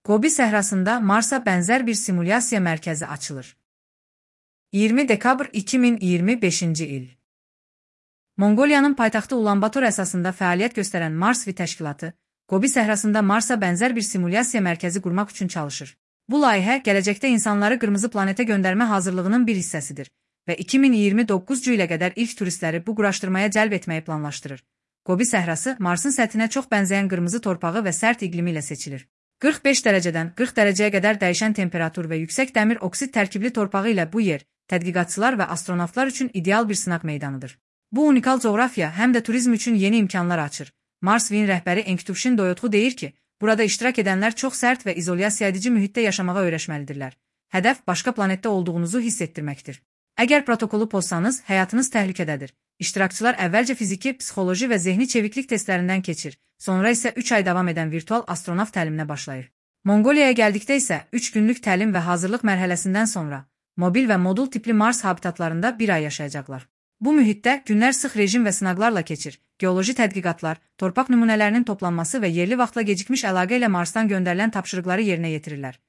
Gobi səhrasında Marsa bənzər bir simulyasiya mərkəzi açılır. 20 dekabr 2025-ci il. Monqoliyanın paytaxtı Ulanbator əsasında fəaliyyət göstərən Mars-V təşkilatı, Gobi səhrasında Marsa bənzər bir simulyasiya mərkəzi qurmaq üçün çalışır. Bu layihə gələcəkdə insanları qırmızı planetə göndərmə hazırlığının bir hissəsidir və 2029-cu ilə qədər ilk turistləri bu quraşdırmaya cəlb etməyi planlaşdırır. Gobi səhrası Marsın səthinə çox bənzəyən qırmızı torpağı və sərt iqlimi ilə seçilir. 45 dərəcədən 40 dərəcəyə qədər dəyişən temperatur və yüksək dəmir oksid tərkibli torpağı ilə bu yer, tədqiqatçılar və astronavtlar üçün ideal bir sınaq meydanıdır. Bu unikal coğrafiya həm də turizm üçün yeni imkanlar açır. Mars-V-in rəhbəri Enktuşin Doyotxu deyir ki, burada iştirak edənlər çox sərt və izolyasiya edici mühitdə yaşamağa öyrəşməlidirlər. Hədəf başqa planetdə olduğunuzu hiss etdirməkdir. Əgər protokolu pozsanız, həyatınız təhlükədədir. İştirakçılar əvvəlcə fiziki, psixoloji və zehni çeviklik testlərindən keçir, sonra isə 3 ay davam edən virtual astronavt təliminə başlayır. Monqoliyaya gəldikdə isə 3 günlük təlim və hazırlıq mərhələsindən sonra mobil və modul tipli Mars habitatlarında bir ay yaşayacaqlar. Bu mühitdə günlər sıx rejim və sınaqlarla keçir, geoloji tədqiqatlar, torpaq nümunələrinin toplanması və yerli vaxtla gecikmiş əlaqə ilə Marsdan göndərilən tapşırıqları yerinə yetirirlər.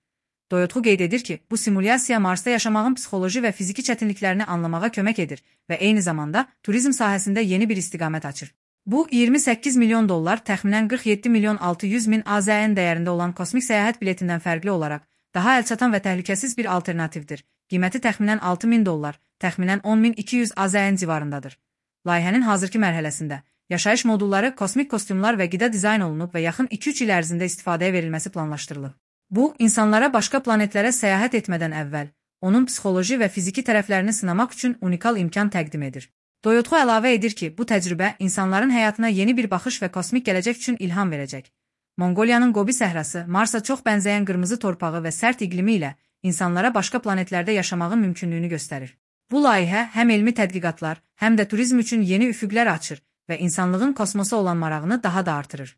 Doyotxu qeyd edir ki, bu simulyasiya Marsda yaşamağın psixoloji və fiziki çətinliklərini anlamağa kömək edir və eyni zamanda turizm sahəsində yeni bir istiqamət açır. Bu, 28 milyon dollar, təxminən 47 milyon 600 min AZN dəyərində olan kosmik səyahət biletindən fərqli olaraq daha əlçatan və təhlükəsiz bir alternativdir. Qiyməti təxminən 6 min dollar, təxminən 10.200 AZN civarındadır. Layihənin hazırki mərhələsində yaşayış modulları, kosmik kostyumlar və qida dizayn olunub və yaxın 2-3 il ərzində istifadəyə verilməsi planlaşdırılıb. Bu, insanlara başqa planetlərə səyahət etmədən əvvəl, onun psixoloji və fiziki tərəflərini sınamaq üçün unikal imkan təqdim edir. Doyotxu əlavə edir ki, bu təcrübə insanların həyatına yeni bir baxış və kosmik gələcək üçün ilham verəcək. Monqoliyanın Gobi səhrası, Marsa çox bənzəyən qırmızı torpağı və sərt iqlimi ilə insanlara başqa planetlərdə yaşamağın mümkünlüyünü göstərir. Bu layihə həm elmi tədqiqatlar, həm də turizm üçün yeni üfüqlər açır və insanlığın kosmosa olan marağını daha da artırır.